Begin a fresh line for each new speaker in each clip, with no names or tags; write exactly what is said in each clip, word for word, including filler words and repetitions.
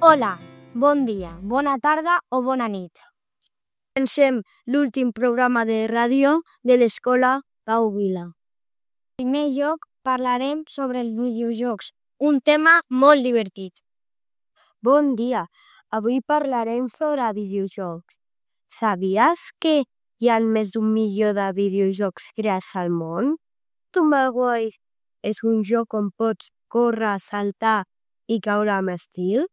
Hola, bon dia, bona tarda o bona nit.
Comencem l'últim programa de ràdio de l'Escola Pau Vila.
En primer lloc, parlarem sobre els videojocs, un tema molt divertit.
Bon dia, avui parlarem sobre videojocs. Sabies que hi ha més d'un milió de videojocs creats al món? Tomagoi és un joc on pots córrer, saltar i caure amb estil?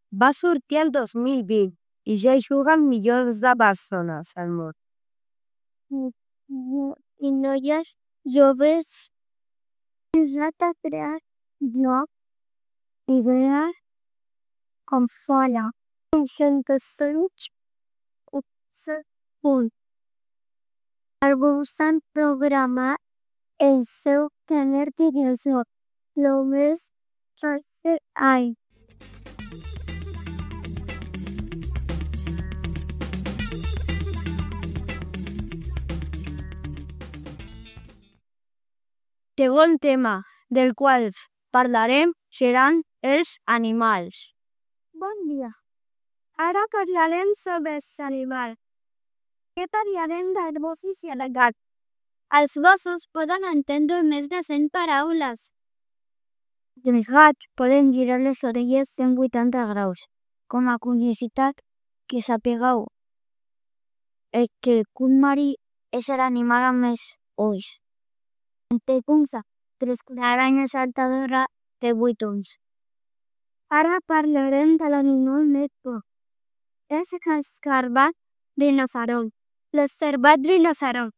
Va sortir el dos mil vint i ja hi juguen milions de persones al món. I noies joves pensat a crear jocs, idees, com fora. cinc-cents punts. Alguns han programat el seu primer videojoc, només tercer any.
El segon tema del qual parlarem seran els animals.
Bon dia. Ara parlarem sobre els animals. Què parlarem dels gossos i de gats?
Els gossos poden entendre més de cent paraules.
Els gats poden girar les orelles cent vuitanta graus. Com a curiositat, que sapigueu és que el cuc marí és l'animal amb més ulls. En Tecunsa, tres aranya saltadora de vuit ulls. Ara parlarem de l'animal més por. És l'escarbat rinoceront. L'escarbat rinoceront.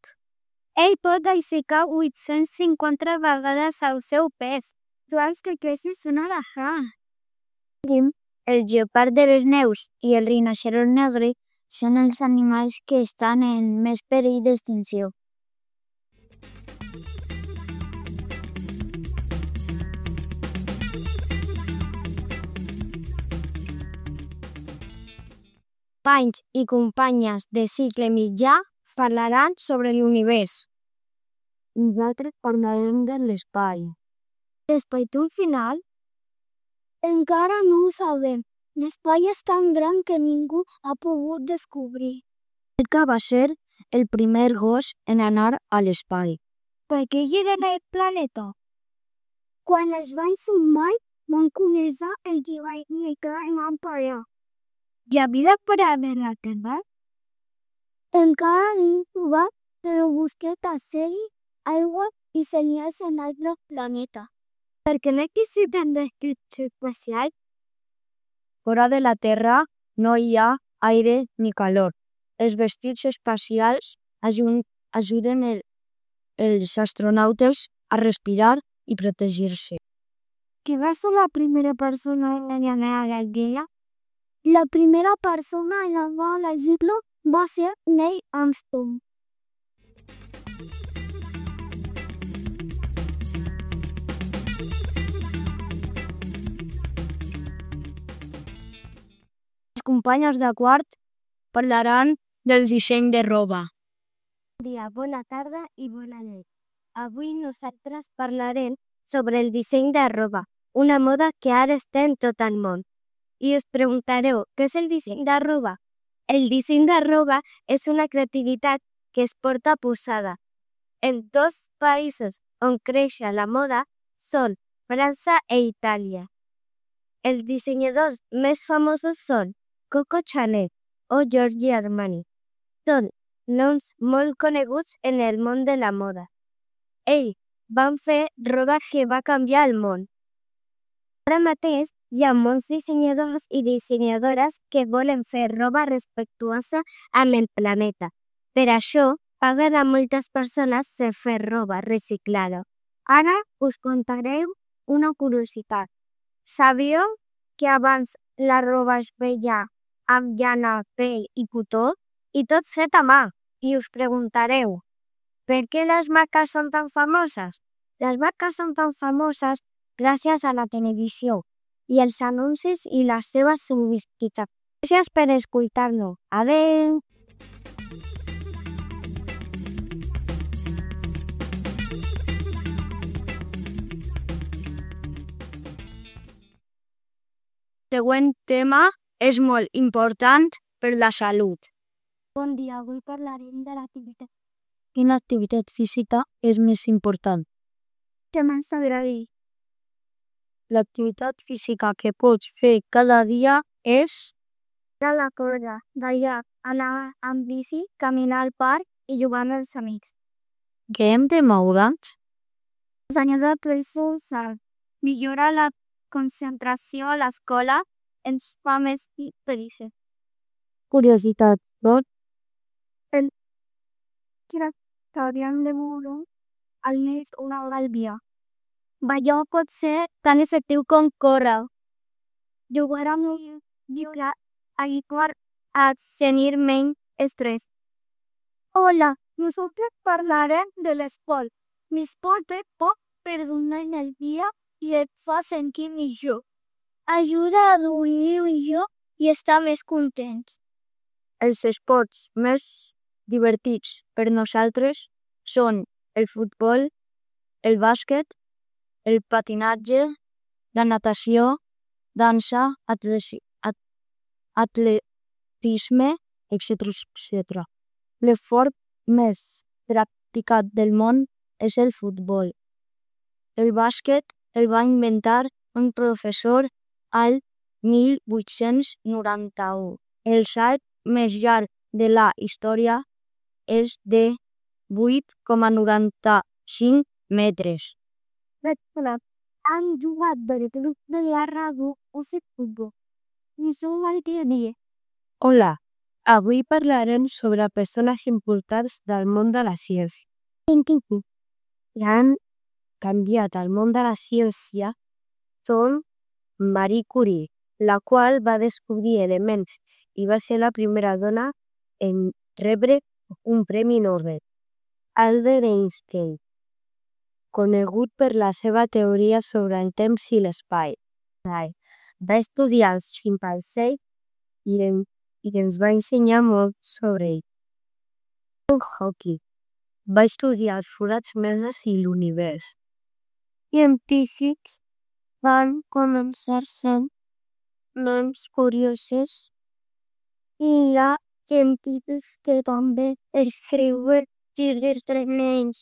Ell pot aixecar vuit-cents cinquanta vegades el seu pes. Joans que creixen una elefant. El lleopard de les neus i el rinoceront negre són els animals que estan en més perill d'extinció.
Companys i companyes de cicle mitjà parlaran sobre l'univers.
Nosaltres parlarem de l'espai.
L'espai té un final? Encara no ho sabem. L'espai és tan gran que ningú ha pogut descobrir.
Que va ser el primer gos en anar a l'espai.
Per què lliguen el planeta? Quan es van sumar, van conèixer el que va indicar en van parar. Hi ha vida fora de la Terra? Encara no trobat, però busquet a ser aigua i senyals en altres planetes. Per què necessiten descripció espacial?
Fora de la Terra no hi ha aire ni calor. Els vestits espacials ajuden el, els astronautes a respirar i protegir-se.
Qui va ser la primera persona en anar a la Lluna? La primera persona en anar a la Lluna va ser Neil Armstrong. Les companyes de quart parlaran del disseny de roba.
Bon dia, bona tarda i bona nit. Avui nosaltres parlarem sobre el disseny de roba, una moda que ara està en tot el món. I us preguntareu, què és el disseny de roba? El disseny de roba és una creativitat que es porta posada. En dos països on creix la moda són França i Itàlia. Els dissenyadors més famosos són Coco Chanel o Giorgio Armani. Són noms molt coneguts en el món de la moda. Ells van fer roba que va canviar el món. Ara mateix hi ha molts dissenyadors i dissenyadores que volen fer roba respectuosa amb el planeta. Per això, paguen a moltes persones per fer roba reciclada. Ara us contaré una curiositat. Sabíeu que abans la roba es feia amb llana, pell i cotó i tot fet a mà? I us preguntareu, per què les marques són tan famoses? Les marques són tan famoses gràcies a la televisió i els anuncis i les seves publicitats. Gràcies per escoltar-nos. Adeu! següent tema és molt important per la salut.
Bon dia, avui parlarem de l'activitat.
Quina activitat física és més important?
Què més t'agrada?
L'activitat física que pots fer cada dia és
De la corda, ballar, anar amb bici, caminar al parc i jugar amb els amics.
que hem de moure'ns.
Ensenyar de pressursar, millorar la concentració a l'escola, ens fa més feliços.
Curiositat, doncs,
Crec que hauríem de moure almenys una hora al dia. Ballar pot ser tan efectiu com córrer. Jugar amb un llibre ayudar a tenir menys estrès. Hola, nosotros parlarem de l'esport. L'esport és poc perdonar en el dia i et fa sentir millor. Ajuda a dormir millor i estar més contents.
els esports més divertits per nosaltres són el futbol, el bàsquet, el patinatge, la natació, dansa, atleti- at- atletisme, etcètera etcètera. L'esport més practicat del món és el futbol. El bàsquet el va inventar un professor al mil vuit-cents noranta-u. El salt més llarg de la història és de vuit coma noranta-cinc metres.
Han jugat del grup de la ràdio o fet futbol. I som al dia a dia.
Hola, avui parlarem sobre persones importants del món de la ciència. Que han canviat el món de la ciència són Marie Curie, la qual va descobrir elements i va ser la primera dona en rebre un premi Nobel. Albert Einstein, conegut per la seva teoria sobre el temps i l'espai. Va estudiar els ximpanzés i, en, i ens va ensenyar molt sobre ell. Hawking va estudiar els forats negres i l'univers. Científics van començar sent noms curiosos
I hi ha científics que també escriuen llibres de nens.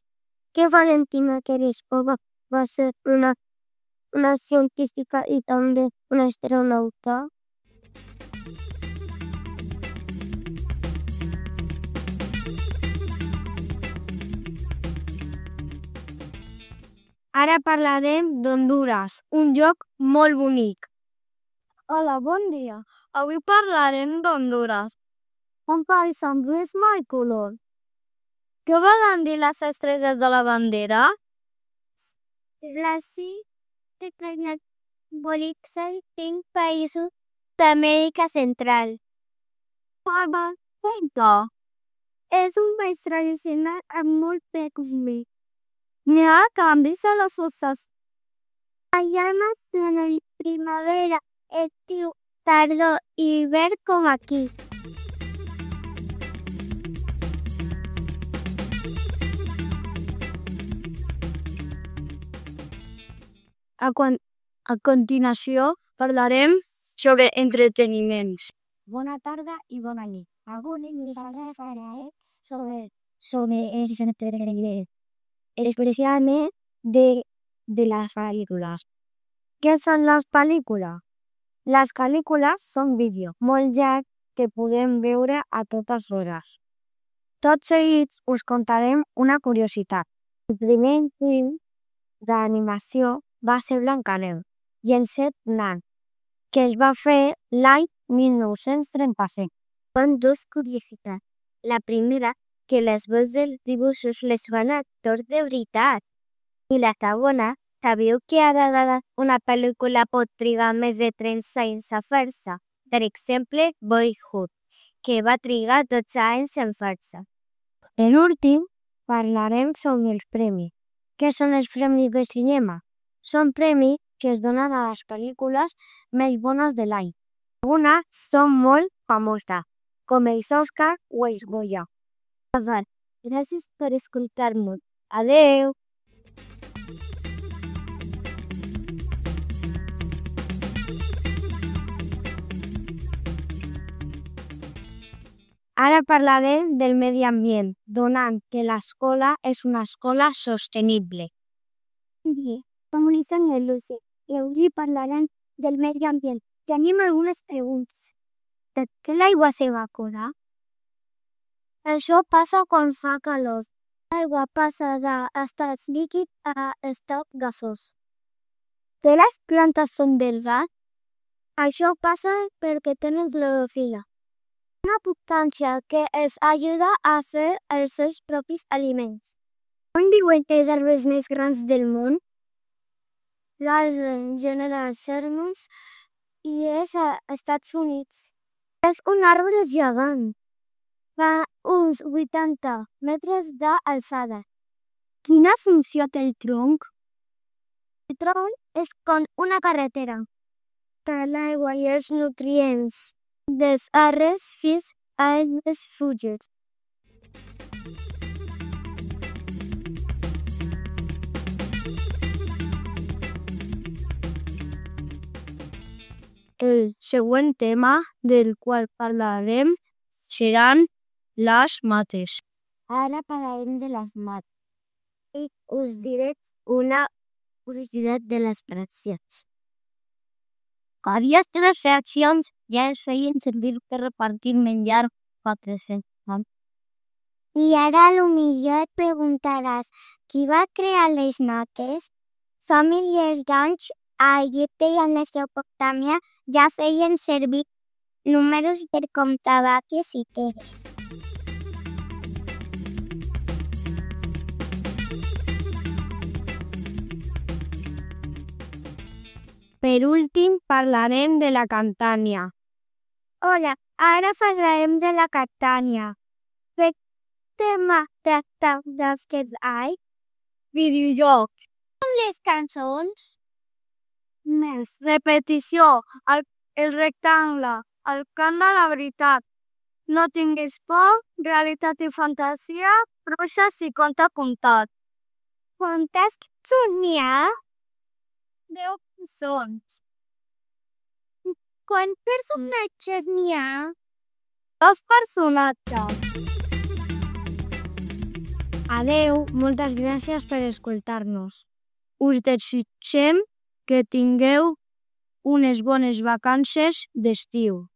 Que Valentina Tereshkova va ser una, una científica i també una astronauta.
Ara parlarem d'Hondures, un lloc molt bonic.
Hola, bon dia. Avui parlarem d'Hondures. Un país amb ritme i color. Què volen dir les estrelles de la bandera? Les cinc estrelles simbolitzen cinc països d'Amèrica Central. Perfecte. És un país tradicional amb molt peculiar. N'hi ha canvis a les coses. Allà nacional primavera, estiu, tardor i hivern com aquí.
A, quan, a continuació parlarem sobre entreteniments.
Bona tarda i bona nit. Avui us parlaré sobre, sobre els entreteniments, especialment de, de les pel·lícules. Què són les pel·lícules? Les pel·lícules són vídeos molt llargs que podem veure a totes hores. Tot seguit us contarem una curiositat. El primer film d'animació va ser Blancaneus i els set nans, que es va fer l'any mil nou-cents trenta-set. Són dues curiositats. La primera, que les veus dels dibuixos les fan actors de veritat. I la segona, sabeu que ara una pel·lícula pot trigar més de trenta anys a fer-se? Per exemple, Boyhood, que va trigar dotze anys en fer-se. Per últim, parlarem sobre els premis. Què són els premis de cinema? Són premis que es donen a les pel·lícules més bones de l'any. Algunes són molt famoses, com els Oscar o els Goya. Gràcies per escoltar-nos. Adeu!
Ara parlarem del medi ambient, donant que l'escola és una escola sostenible.
Bé, com li sembla, Lucy? I avui parlarem del medi ambient. Tenim algunes preguntes. Per què l'aigua s'evapora?
Això passa quan fa calor.
L'aigua passa d'estat líquid a estat gasós. Que les plantes són verdes? Això passa perquè tenen clorofila, una substància que els ajuda a fer els seus propis aliments. On viuen els arbres més grans del món? L'arbre General Sherman i és als Estats Units. És un arbre gegant. Fa uns vuitanta metres d'alçada. Quina funció té el tronc? El tronc és com una carretera per l'aigua i els nutrients dels arbres fins als fulles.
El següent tema del qual parlarem seran les mates.
Ara parlarem de les mates i us diré una curiositat de les fraccions.
Aquestes fraccions ja es feien servir per repartir menjar fa tres-cents anys.
I ara potser et preguntaràs, qui va crear les mates? Fa milers d'anys a Egipte i a Mesopotàmia ja feien servir números per comptar vaques i terres.
Per últim, parlarem de la Catània.
Hola, ara parlarem de la Catània. ¿Qué tema tracta d'aquests anys?
Videojocs.
Les cançons?
Més repetició, el, el rectangle, el cant de la veritat. No tinguis por, realitat i fantasia, bruixes i conte contat.
Quantes cançons n'hi ha?
Deu cançons.
Quants personatges n'hi ha?
Dos personatges. Adeu, moltes gràcies per escoltar-nos. Us desitgem que tingueu unes bones vacances d'estiu.